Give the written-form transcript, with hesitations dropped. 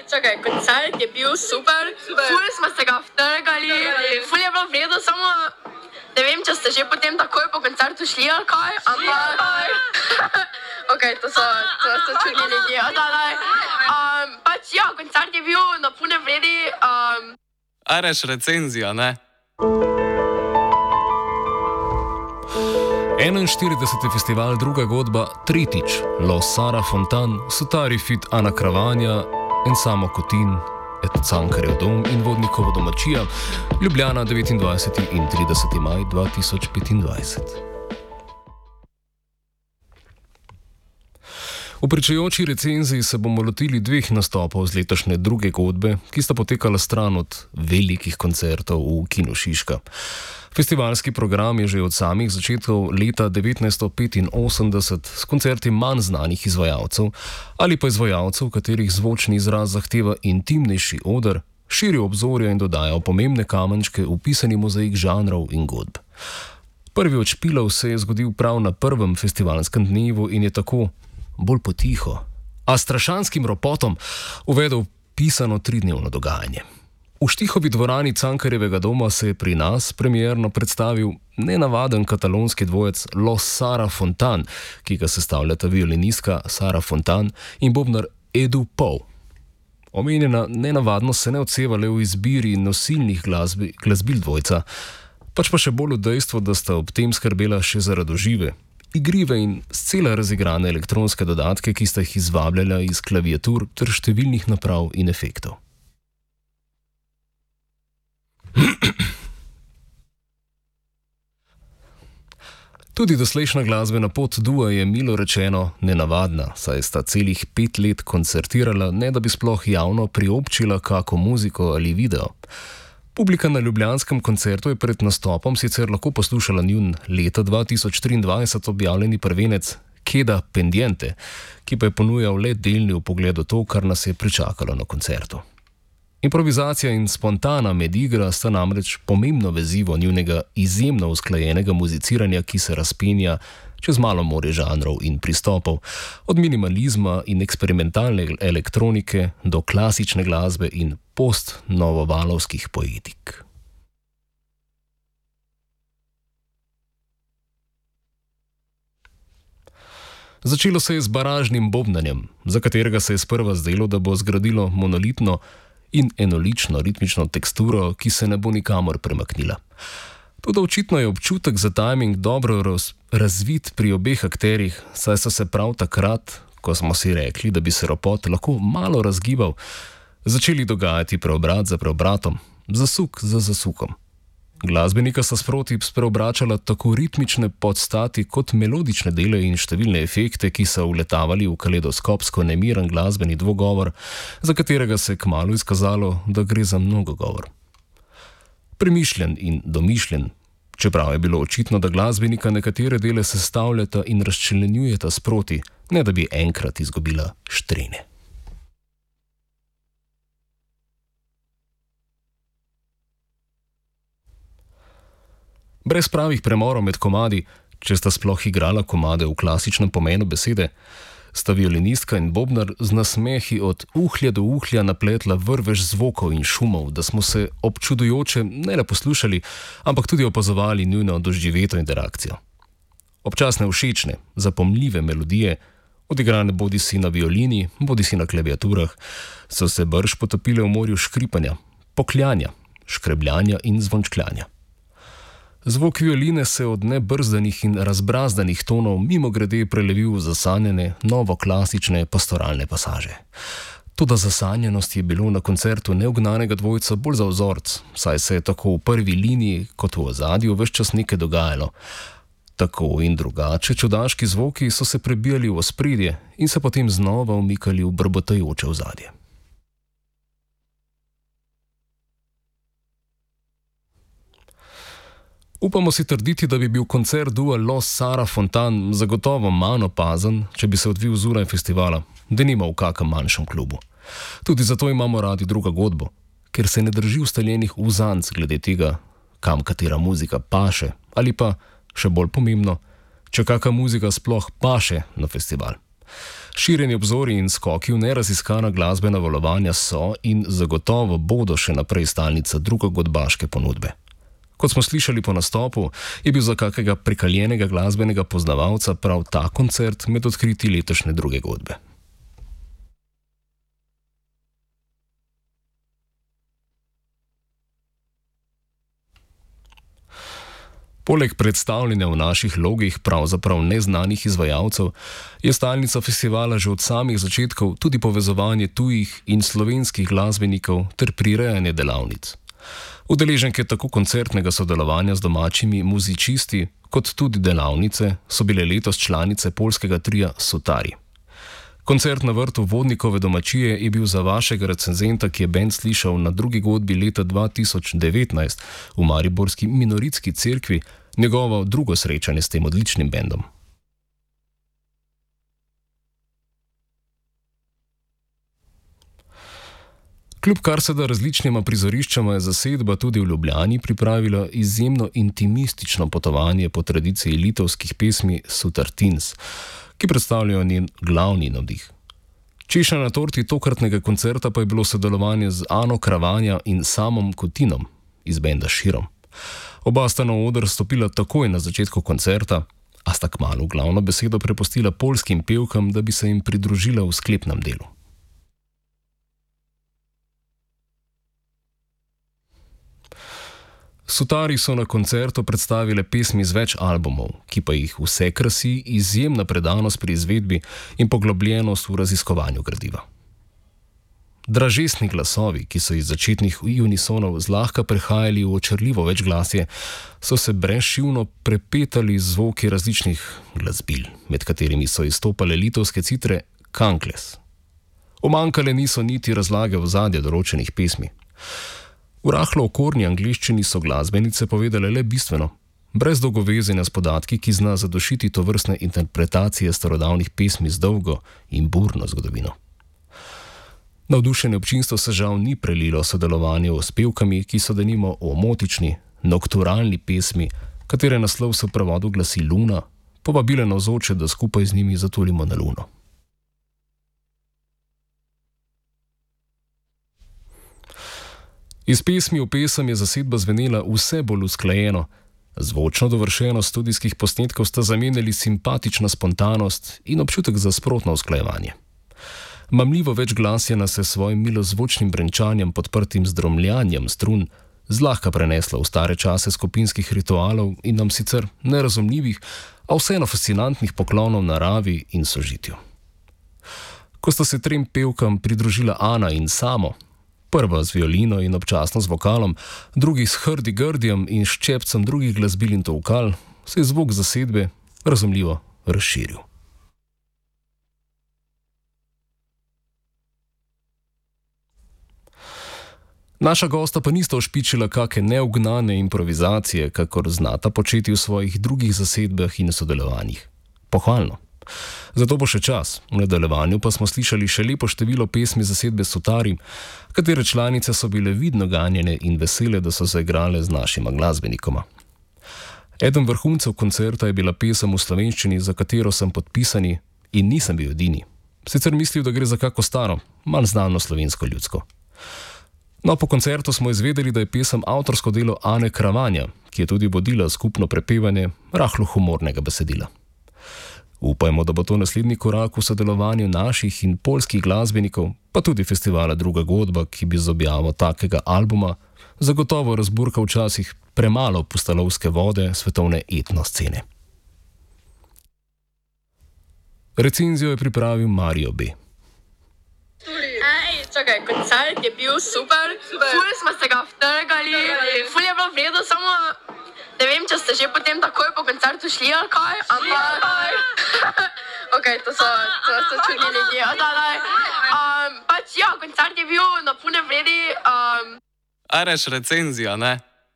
čakaj, koncert je bil super. Ful smo se ga vtrgali, ful je bilo vredo, samo ne vem, če ste že potem takoj po koncertu šli ali kaj, ampak... Ok, to so čudni ljudje. Pač ja, koncert je bil na pune vredi. Areš recenzija, ne? 41. festival Druga godba, tretjič, Los Sara Fontan, Sotari fit Ana Kravanja, Ensamo Kotin, Cankarjev dom in Vodnikovo domačija, Ljubljana 29. in 30. maj 2025. V pričajoči recenziji se bomo lotili dveh nastopov z letošnje Druge godbe, ki sta potekala stran od velikih koncertov v Kinu Šiška. Festivalski program je že od samih začetkov leta 1985 s koncerti manj znanih izvajalcev ali pa izvajalcev, katerih zvočni izraz zahteva intimnejši oder, širil obzorja in dodajal pomembne kamenčke v pisani mozaik žanrov in godb. Prvi od špilov se je zgodil prav na prvem festivalskem dnevu in je tako, bolj potiho, a strašanskim ropotom uvedel pisano 3-dnevno dogajanje. V Štihovi dvorani Cankarjevega doma se je pri nas premierno predstavil nenavaden katalonski dvojec Los Sara Fontan, ki ga sestavljata violinistka Sara Fontan in bobnar Edu Pou. Omenjena nenavadnost se ne odseva le v izbiri nosilnih glasbil dvojca, pač pa še bolj v dejstvu, da sta ob tem skrbela še za radožive, igrive in scela razigrane elektronske dodatke, ki sta jih izvabljala iz klaviatur ter številnih naprav in efektov. Tudi doslejšnja glasbena pot dua je milo rečeno nenavadna, saj sta celih 5 let koncertirala, ne da bi sploh javno priobčila kako muziko ali video. Publika na ljubljanskem koncertu je pred nastopom sicer lahko poslušala njun leta 2023 objavljeni prvenec Queda Pendiente, ki pa je ponujal le delni vpogled v to, kar nas je pričakalo na koncertu. Improvizacija in spontana medigra sta namreč pomembno vezivo njunega izjemno usklajenega muziciranja, ki se razpenja čez malo morje žanrov in pristopov, od minimalizma in eksperimentalne elektronike do klasične glasbe in post-novovalovskih poetik. Začelo se je z baražnim bobnanjem, za katerega se je sprva zdelo, da bo zgradilo monolitno in enolično ritmično teksturo, ki se ne bo nikamor premaknila. Toda očitno je občutek za tajming dobro razvit pri obeh akterjih, saj so se prav takrat, ko smo si rekli, da bi se ropot lahko malo razgibal, začeli dogajati preobrat za preobratom, zasuk za zasukom. Glasbenika sta sproti spreobračala tako ritmične podstati kot melodične dele in številne efekte, ki so vletavali v kaledoskopsko nemiren glasbeni dvogovor, za katerega se je kmalu izkazalo, da gre za mnogogovor. Premišljen in domišljen, čeprav je bilo očitno, da glasbenika nekatere dele sestavljata in razčlenjujeta sproti, ne da bi enkrat izgubila štrene. Brez pravih premorov med komadi, če sta sploh igrala komade v klasičnem pomenu besede, sta violinistka in bobnar z nasmehi od uhlja do uhlja napletla vrvež zvokov in šumov, da smo se občudujoče ne le poslušali, ampak tudi opazovali njuno doživeto interakcijo. Občasne všečne, zapomljive melodije, odigrane bodisi na violini, bodisi na klaviaturah, so se brž potopile v morju škripanja, pokljanja, škrebljanja in zvončkljanja. Zvok violine se od nebrzdanih in razbrazdanih tonov mimogrede prelevil v zasanjene, novoklasične pastoralne pasaže. Toda zasanjenost je bilo na koncertu neugnanega dvojca bolj za vzorc, saj se je tako v prvi liniji kot v ozadju ves čas nekaj dogajalo. Tako in drugače čudaški zvoki so se prebijali v ospredje in se potem znova umikali v brbotajoče ozadje. Upamo si trditi, da bi bil koncert dua Los Sara Fontan zagotovo manj opazen, če bi se odvil zunaj festivala, denimo v kakem manjšem klubu. Tudi zato imamo radi Drugo godbo, ker se ne drži ustaljenih uzanc glede tega, kam katera muzika paše, ali pa, še bolj pomembno, če kakšna muzika sploh paše na festival. Širjenje obzorij in skoki v neraziskana glasbena valovanja so in zagotovo bodo še naprej stalnica drugogodbaške ponudbe. Kot smo slišali po nastopu, je bil za kakega prekaljenega glasbenega poznavalca prav ta koncert med odkriti letošnje druge godbe. Poleg predstavljanja v naših logih pravzaprav neznanih izvajalcev, je stalnica festivala že od samih začetkov tudi povezovanje tujih in slovenskih glasbenikov ter prirejanje delavnic. Udeleženke tako koncertnega sodelovanja z domačimi muzičisti, kot tudi delavnice so bile letos članice poljskega tria Sutari. Koncert na vrtu Vodnikove domačije je bil za vašega recenzenta, ki je bend slišal na drugi godbi leta 2019 v mariborski minoritski cerkvi, njegovo drugo srečanje s tem odličnim bendom. Kljub kar se da različnima prizoriščama je zasedba tudi v Ljubljani pripravila izjemno intimistično potovanje po tradiciji litovskih pesmi Sutartins, ki predstavljajo njen glavni navdih. Češnja na torti tokratnega koncerta pa je bilo sodelovanje z Ano Kravanja in Samom Kutinom iz benda Širom. Oba sta na oder stopila takoj na začetku koncerta, a sta kmalu glavno besedo prepustila poljskim pevkam, da bi se jim pridružila v sklepnem delu. Sutari so na koncertu predstavile pesmi z več albumov, ki pa jih vse krasi izjemna predanost pri izvedbi in poglobljenost v raziskovanju gradiva. Dražesni glasovi, ki so iz začetnih unisonov zlahka prehajali v očarljivo večglasje, so se brezšivno prepetali z zvoki različnih glasbil, med katerimi so izstopale litovske citre kankles. Umanjkale niso niti razlage ozadja določenih pesmi. V rahlo okorni angleščini so glasbenice povedale le bistveno, brez dolgovezenja s podatki, ki zna zadošiti tovrstne interpretacije starodavnih pesmi z dolgo in burno zgodovino. Navdušenje občinstvo se žal ni prelilo sodelovanju s pevkami, ki so denimo o omotični, nokturalni pesmi, katere naslov se v prevodu glasi Luna, povabile navzoče, da skupaj z njimi zatulimo na luno. Iz pesmi v pesem je zasedba zvenela vse bolj usklajeno. Zvočno dovršenost studijskih posnetkov sta zamenjali simpatična spontanost in občutek za sprotno usklajevanje. Mamljivo večglasje nas je svojim milozvočnim brenčanjem podprtim z dromljanjem strun zlahka preneslo v stare čase skupinskih ritualov in nam sicer nerazumljivih, a vseeno fascinantnih poklonov naravi in sožitju. Ko sta se trem pevkam pridružila Ana in Samo, prva z violino in občasno z vokalom, drugi s hrdi-grdijem in ščepcem drugih glasbil in tolkal, se je zvok zasedbe razumljivo razširil. Naša gosta pa nista ošpičila kake neugnane improvizacije, kakor znata početi v svojih drugih zasedbah in sodelovanjih. Pohvalno. Zato bo še čas, v nadaljevanju pa smo slišali še lepo število pesmi zasedbe Sutari, katere članice so bile vidno ganjene in vesele, da so zaigrale z našima glasbenikoma. Eden vrhuncev koncerta je bila pesem v slovenščini, za katero sem podpisani in nisem bil edini. Sicer mislil, da gre za kako staro, manj znano slovensko ljudsko. No, po koncertu smo izvedeli, da je pesem avtorsko delo Ane Kravanja, ki je tudi vodila skupno prepevanje rahlo humornega besedila. Upajmo, da bo to naslednji korak v sodelovanju naših in poljskih glasbenikov, pa tudi festivala Druga godba, ki bi z objavo takega albuma zagotovo razburkal včasih premalo pustalovske vode svetovne etno scene. Recenzijo je pripravil Mario B. Čakaj, koncert je bil super, ful smo se ga vtrgali, ful je bilo v redu, samo ne vem, če ste že potem takoj po koncertu šli ali kaj, ampak ok, to so čudni ljudje, pač ja, koncert je bil na pune vredi. A reš recenzija, ne?